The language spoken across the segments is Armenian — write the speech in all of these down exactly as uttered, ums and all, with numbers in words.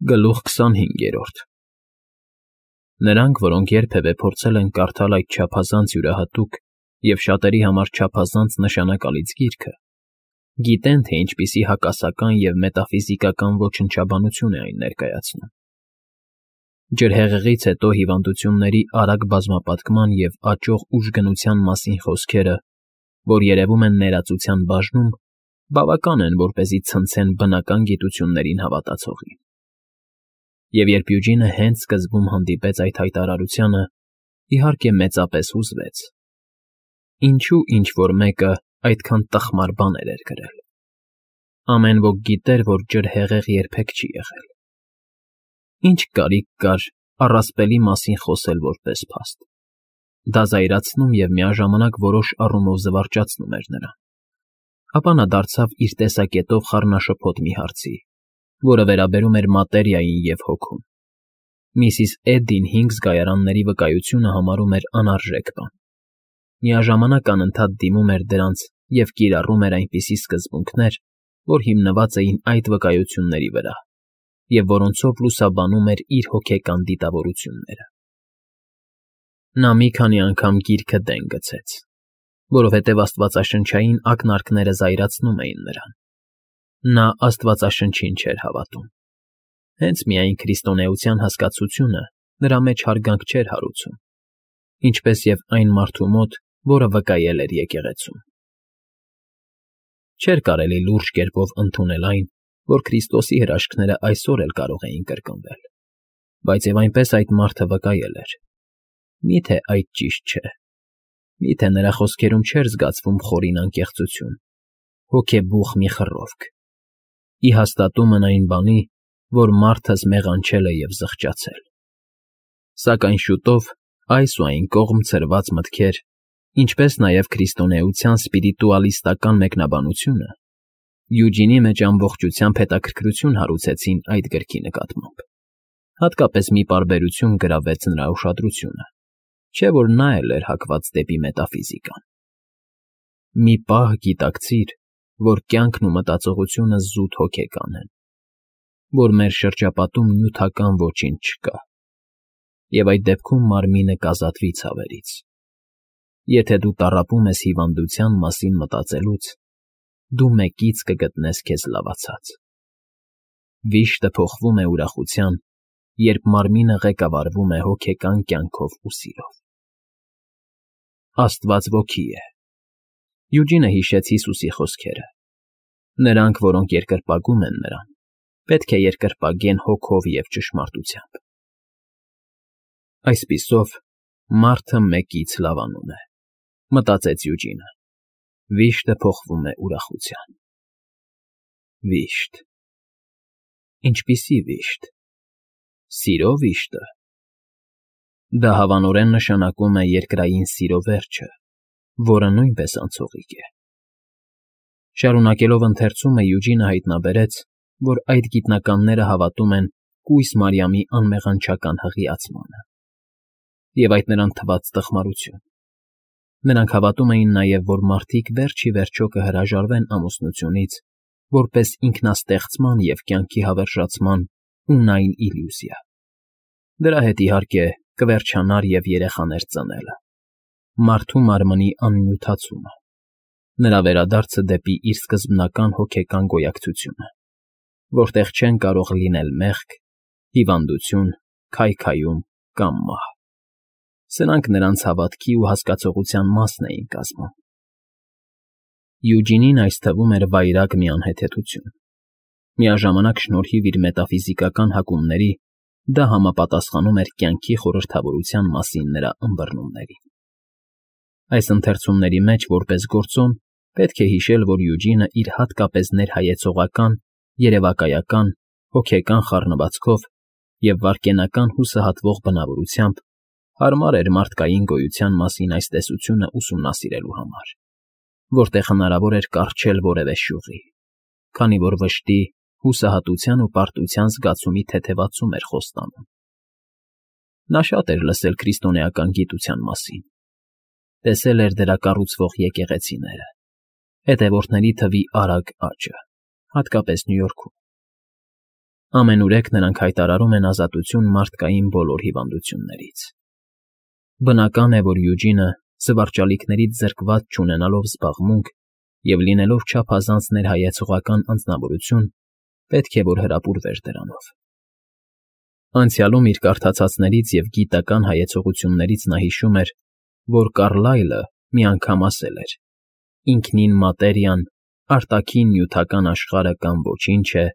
Գլուխ քսանհինգերորդ Նրանք, որոնք երբևէ փորձել են կարդալ այդ չափազանց յուրահատուկ և շատերի համար չափազանց նշանակալից գիրքը, գիտեն, թե ինչպիսի հակասական և մետաֆիզիկական ոչնչաբանություն է այն ներկայացնում. ջրհեղեղից հետո հիվանդությունների արագ բազմապատկման և աճող ուժգնության մասին խոսքերը, որ երևում են ներածության բաժնում, բավական են, որպեսզի ցնցեն բնական գիտություններին հավատացողին։ Եվ երբ Յուջինը հենց սկզբում հանդիպեց այդ հայտարարությանը, իհարկե մեծապես հուզվեց. ինչու ինչ֊որ մեկը այդքան տխմար բաներ էր գրել։ Ամեն ոք գիտեր, որ ջրհեղեղ երբեք չի եղել։ Ինչ կարիք կար առասպելի մասին խոսել որպես փաստ։ Դա զայրացնում և միաժամանակ որոշ առումով զվարճացնում էր նրան։ Ապա նա դարձավ իր տեսակետով խառնաշփոթ մի հարցի, որը վերաբերում էր մատերիային և հոգուն։ Միսիս Էդդին հինգ զգայարանների վկայությունը համարում էր անարժեք բան, միաժամանակ անընդհատ դիմում էր դրանց և կիրառում էր այնպիսի սկզբունքներ, որ հիմնված էին այդ վկայությունների վրա և որոնցով լուսաբանում էր իր հոգեկան դիտավորությունները։ Նա մի քանի անգամ գիրքը դեն գցեց, որովհետև աստվածաշնչային ակնարկները զայրացնում էին նրան։ Նա աստվածաշնչին չէր հավատում։ Հենց միայն քրիստոնեության հասկացությունը նրա մեջ հարգանք չէր հարուցում, ինչպես և այն մարդու մոտ, որը վկայել էր եկեղեցում։ Չէր կարելի լուրջ կերպով ընդունել այն, որ Քրիստոսի հրաշքները այսօր էլ կարող էին կրկնվել, բայց և այնպես այդ մարդը վկայել էր։ Մի՞թե այդ ճիշտ չէ։ Մի՞թե նրա խոսքերում չէր զգացվում խորին անկեղծություն, հոգեբուխ մի խռովք, ի հաստատումն այն բանի, որ մարդս մեղանչել է և զղջացել։ Սակայն շուտով այս ու այն կողմ ցրված մտքեր, ինչպես նաև քրիստոնեության սպիրիտուալիստական մեկնաբանությունը Յուջինի մեջ ամբողջությամբ հետաքրքրություն հարուցեցին այդ գրքի նկատմամբ, հատկապես մի պարբերություն գրավեց նրա ուշադրությունը, չէ՞ որ նա էլ էր հակված դեպի մետաֆիզիկան։ Մի պահ գիտակցիր, որ կյանքն ու մտածողությունը զուտ հոգեկան են, որ մեր շրջապատում նյութական ոչինչ չկա, և այդ դեպքում մարմինը կազատվի ցավերից։ Եթե դու տառապում ես հիվանդության մասին մտածելուց, դու մեկից կգտնես քեզ լավացած։ Վիշտը փոխվում է ուրախության, երբ մարմինը ղեկավարվում է հոգեկան կյանքով ու սիրով։ Աստված ոգի է։ Յուջինը հիշեց Հիսուսի խոսքերը. նրանք, որոնք երկրպագում են նրան, պետք է երկրպագեն հոգով և ճշմարտությամբ։ Այսպիսով, մարդը մեկից լավանում է, մտածեց Յուջինը։ Վիշտը փոխվում է ուրախության։ Վիշտ… Ինչպիսի վիշտ… Սիրո վիշտը… Դա հավանորեն նշանակում է երկրային սիրո վերջը, որը նույնպես անցողիկ է։ Շարունակելով ընթերցումը՝ Յուջինը հայտնաբերեց, որ այդ գիտնականները հավատում են կույս Մարիամի անմեղանչական հղիացմանը։ Եվ այդ նրան թվաց տխմարություն։ Նրանք հավատում էին նաև, որ մարդիկ վերջ ի վերջո կհրաժարվեն ամուսնությունից, որպես ինքնաստեղծման և կյանքի հավերժացման ունայն իլյուզիա։ Դրա հետ, իհարկե, կվերջանար և երեխաներ ծնելը, մարդու մարմնի աննյութացումը, նրա վերադարձը դեպի իր սկզբնական հոգեկան գոյակցությունը, որտեղ չեն կարող լինել մեղք, հիվանդություն, քայքայում կամ մահ։ Սրանք նրանց հավատքի ու հասկացողության մասն էին կազմում։ Յուջինին այս թվում էր վայրագ մի անհեթեթություն։ Միաժամանակ, շնորհիվ իր մետաֆիզիկական հակումների, դա համապատասխանում էր կյանքի խորհրդավորության մասին նրա ըմբռնումներին։ Այս ընթերցումների մեջ, որպես գործոն, պետք է հիշել, որ Յուջինը իր հատկապես ներհայեցողական, երևակայական, հոգեկան խառնվածքով և վայրկենական հուսահատվող բնավորությամբ հարմար էր մարդկային գոյության մասին այս տեսությունը ուսումնասիրելու համար, որտեղ հնարավոր էր կառչել որևէ շյուղի, քանի որ վշտի, հուսահատության ու պարտության զգացումի թեթևացում էր խոստանում։ Նա շատ էր լսել քրիստոնեական գիտության մասին, տեսել էր դրա կառուցվող եկեղեցիները, հետևորդների թվի արագ աճը, հատկապես Նյու Յորքում։ Ամենուրեք նրանք հայտարարում են ազատություն մարդկային բոլոր հիվանդություններից։ Բնական է, որ Յուջինը, զվարճալիքներից զրկված չունենալով զբաղմունք և լինելով չափազանց ներհայեցողական անձնավորություն, պետք է որ հրապուրվեր դրանով։ Անցյալում իր կարդացածներից և գիտական հայեցողություններից նա հիշում էր, որ Կարլայլը մի անգամ ասել էր. «Ինքնին մատերիան, արտաքին նյութական աշխարհը կամ ոչինչ է,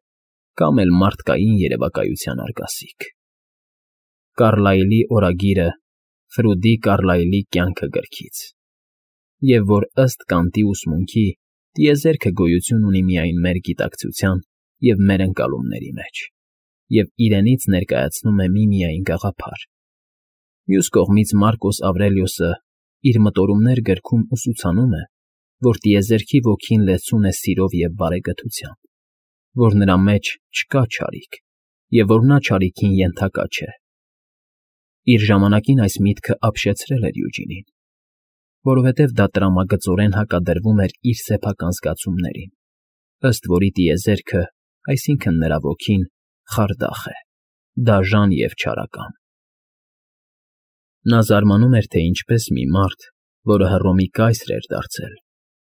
կամ էլ մարդկային երևակայության արգասիք»։ Կարլայլի օրագիրը Ֆրուդի Կարլայլի կյանքը գրքից։ Եվ որ ըստ Կանտի ուսմունքի տիեզերքը գոյություն ունի միայն մեր գիտակցության և մեր ընկալումների մեջ, և իրենից ներկայացնում է միմիայն գաղափար։ Մյուս կողմից Մարկոս Ավրելիոսը իր մտորումներ գրքում ուսուցանում է, որ տիեզերքի ոգին լեցուն է սիրով և բարեկթությամբ, որ նրա մեջ չկա չարիք, և որ նա չարիքին ենթակա չէ։ Իր ժամանակին այս միտքը ապշեցրել էր Յուջինին, որովհետև դա տրամագծորեն հակադրվում էր իր սեփական զգացումներին, ըստ որի տիեզերքը, այսինքն նրա ոգին, խարդախ է, դաժան և չարական։ Նա զարմանում էր, թե ինչպես մի մարդ, որը Հռոմի կայսր էր դարձել,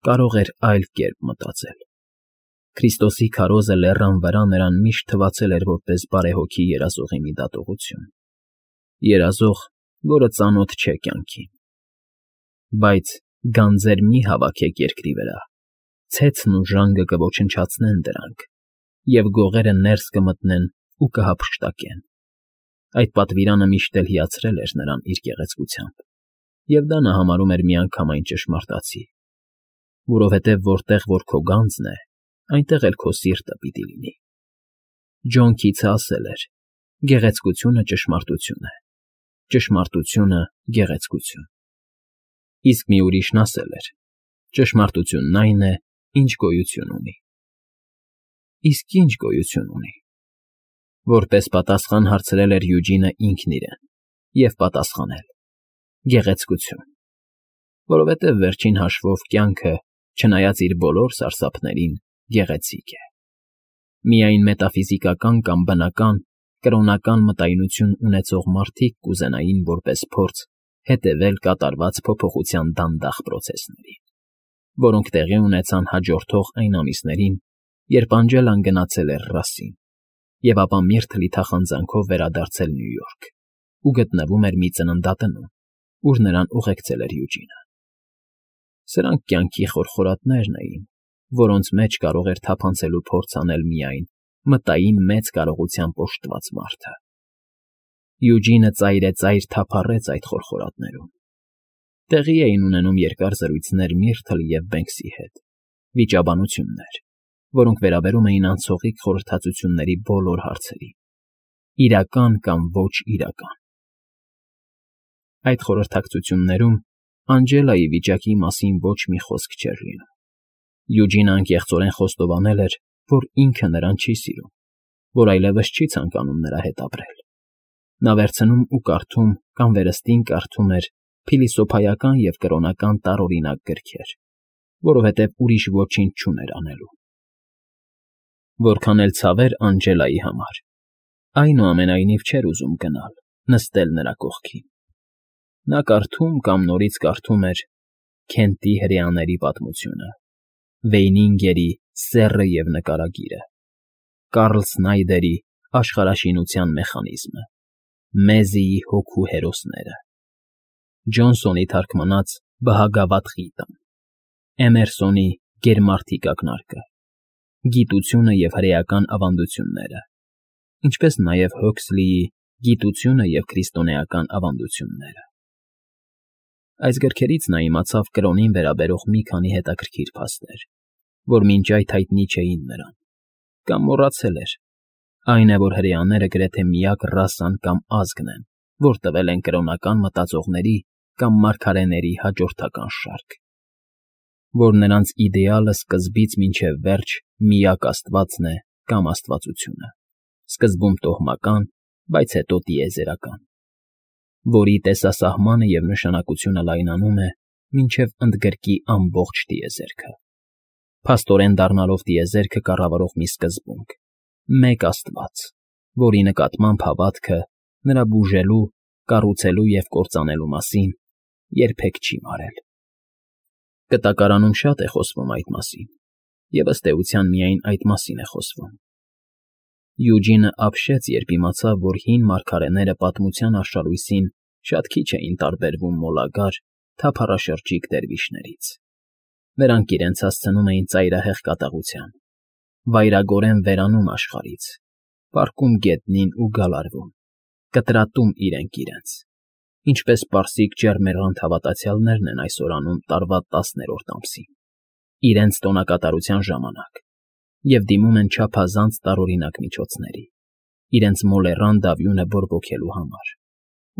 կարող էր այլ կերպ մտածել։ Քրիստոսի քարոզը լեռան վրա նրան միշտ թվացել էր որպես բարեհոգի երազողի մի դատողություն, երազող, որը ծանոթ չէ կյանքին։ Բայց գանձեր մի՛ հավաքեք երկրի վրա, ցեցն ու ժանգը կոչնչացնեն դրանք, և գողերը ներս կմտնեն ու կհափշտակեն։ Այդ պատվիրանը միշտ էլ հիացրել էր նրան իր գեղեցկությամբ, և դա նա համարում էր միանգամայն ճշմարտացի, որովհետև որտեղ որ քո գանձն է, այնտեղ էլ քո սիրտը պիտի լինի։ Ջոն Քիթսը ասել էր. «Գեղեցկությունը ճշմարտություն է, ճշմարտությունը՝ գեղեցկություն»։ Իսկ մի ուրիշն ասել էր. «Ճշմարտությունն այն է, ինչ գոյություն ունի»։ Իսկ ի՞նչ գոյություն ունի։ Որպես պատասխան հարցրել էր Յուջինը ինքն իրեն, և պատասխանել. «Գեղեցկություն, որովհետև վերջին հաշվով կյանքը, չնայած իր բոլոր սարսափներին, գեղեցիկ է։ Միայն մետաֆիզիկական կամ բնական, կրոնական մտայնություն ունեցող մարդիկ կուզենային որպես փորձ հետևել կատարված փոփոխության դանդաղ պրոցեսներին, որոնք տեղի ունեցան հաջորդող այն ամիսներին, երբ Անջելան գնացել էր Ռասսին, և ապա միրթլի թախանձանքով վերադարձել Նյու Յորք ու գտնվում էր մի ծննդատնում, ուր նրան ուղեկցել էր Յուջինը։ Սրանք կյանքի խորխորատներն էին, որոնց մեջ կարող էր թափանցելու փորձ անել միայն մտային մեծ կարողությամբ օժտված մարդը։ Յուջինը ծայրեծայր թափառեց այդ խորխորատներում։ Տեղի էին ունենում երկար զրույցներ Միրթլ և Բենքսի հետ, վիճաբանություններ, որոնք վերաբերում էին անցողիկ խորհրդածությունների բոլոր հարցերին, իրական կամ ոչ իրական։ Այդ խորհրդակցություններում Անջելայի վիճակի մասին ոչ մի խոսք չէր լինում։ Յուջինը անկեղծորեն խոստովանել էր, որ ինքը նրան չի սիրում, որ այլևս չի ցանկանում նրա հետ ապրել։ Նա վերցնում ու կարդում կամ վերստին կարդում էր փիլիսոփայական և կրոնական տարօրինակ գրքեր, որովհետև ուրիշ ոչինչ չուներ անելու։ Որքան էլ ցավ էր Անջելայի համար, այնուամենայնիվ չէր ուզում գնալ, նստել նրա կողքին։ Նա կարդում կամ նորից կարդում էր Քենտի հրեաների պատմությունը, Վեյնինգերի Սեռը և նկարագիրը, Կարլ Սնայդերի Աշխարհաշինության մեխանիզմը, Մեզիի Հոգու հերոսները, Ջոնսոնի թարգմանած Բհագավատ Գիտան, Էմերսոնի Գերմարդիկ ակնարկը, Գիտությունը և հրեական ավանդությունները, ինչպես նաև Հոքսլիի Գիտությունը և քրիստոնեական ավանդությունները։ Այս գրքերից նա իմացավ կրոնին վերաբերող մի քանի հետաքրքիր փաստեր, որ մինչ այդ հայտնի չէին նրան, կամ մոռացել էր։ Այն է, որ հրեաները գրեթե միակ ռասան կամ ազգն են, որ տվել են կրոնական մտածողների կամ մարգարեների հաջորդական շարք, որ նրանց իդեալը սկզբից մինչև վերջ միակ Աստվածն է կամ աստվածությունը, սկզբում տոհմական, բայց հետո տիեզերական, որի տեսասահմանը և նշանակությունը լայնանում է մինչև ընդգրկի ամբողջ տիեզերքը, փաստորեն դառնալով տիեզերքը կառավարող մի սկզբունք՝ մեկ Աստված, որի նկատմամբ հավատքը նրա բուժելու, կառուցելու և կործանելու մասին երբեք չի մարել։ Կտակարանում շատ է խոսվում այդ մասին, և ըստ էության միայն այդ մասին է խոսվում։ Յուջինը ապշեց, երբ իմացավ, որ հին մարգարեները պատմության արշալույսին շատ քիչ էին տարբերվում մոլագար, թափառաշրջիկ դերվիշներից։ Նրանք իրենց հասցնում էին ծայրահեղ կատաղության, վայրագորեն վերանում աշխարհից, պառկում գետնին ու գալարվում, կտրատում իրենք իրենց, ինչպես պարսիկ ջեռմեռանդ հավատացյալներն են այսօր անում տարվա տասներորդ ամսին, իրենց տոնակատարության ժամանակ, և դիմում են չափազանց տարօրինակ միջոցների, իրենց մոլեռանդ արյունը բորբոքելու համար,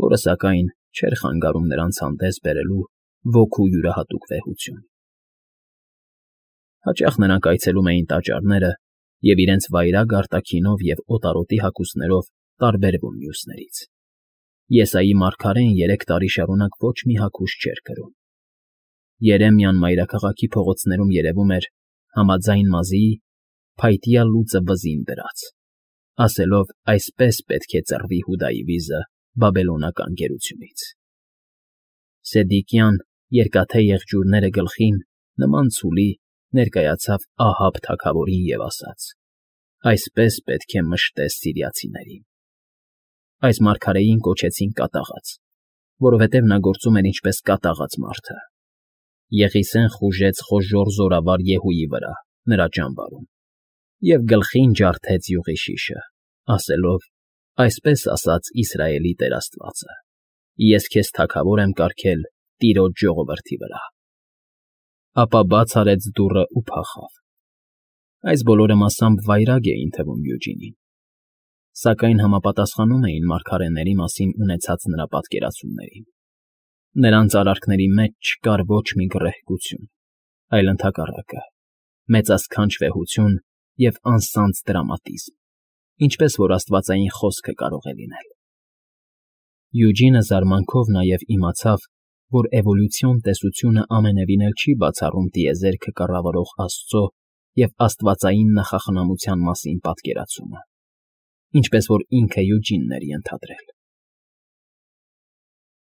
որը, սակայն, չէր խանգարում նրանց հանդես բերելու ոգու յուրահատուկ վեհություն։ Հաճախ նրանք այցելում էին տաճարները և իրենց վայրագ արտաքինով և օտարոտի հագուստներով տարբերվում մյուսներից։ Եսայի մարգարեն երեք տարի շարունակ ոչ մի հագուստ չէր կրում։ Երեմիան մայրաքաղաքի փողոցներում երևում էր համաձայն մազի, փայտյա լուծը վզին դրած, ասելով. «Այսպես պետք է ծռվի Հուդայի վիզը բաբելոնական գերությունից»։ Սեդեկյան, երկաթե եղջյուրները գլխին, նման ցուլի, ներկայացավ Ահաբ թագավորին և ասաց. «Այսպես պետք է մշտես սիրիացիներին»։ Այս մարգարեին կոչեցին կատաղած, որովհետև նա գործում էր ինչպես կատաղած մարդը։ Եղիսեն խուժեց խոժոռ զորավար Եհուի վրա, նրա ճամբարում, և գլխին ջարդեց յուղի շիշը, ասելով. «Այսպես ասաց Իսրայելի Տեր Աստվածը. Ես քեզ թագավոր եմ կարգել տիրոջ ժողովրդի վրա»։ Ապա բաց արեց դուռն ու փախավ։ Այս բոլորը մասամբ վայրագ էին թվում Յուջինին, սակայն համապատասխանում էին մարգարեների մասին ունեցած նրա պատկերացումներին։ Նրանց արարքների մեջ չկար ոչ մի գռեհկություն, այլ ընդհակառակը, մեծասքանչ վեհություն և անսանձ տրամադիսմ, ինչպես որ աստվածային խոսքը կարող է լինել։ Յուջինը զարմանքով նաև իմացավ, որ էվոլյուցիոն տեսությունը ամենևին էլ չի բացառում տիեզերքը կառավարող Աստծո և աստվածային նախախնամության մասին պատկերացումը, ինչպես որ ինքը Յուջինն էր ենթադրել։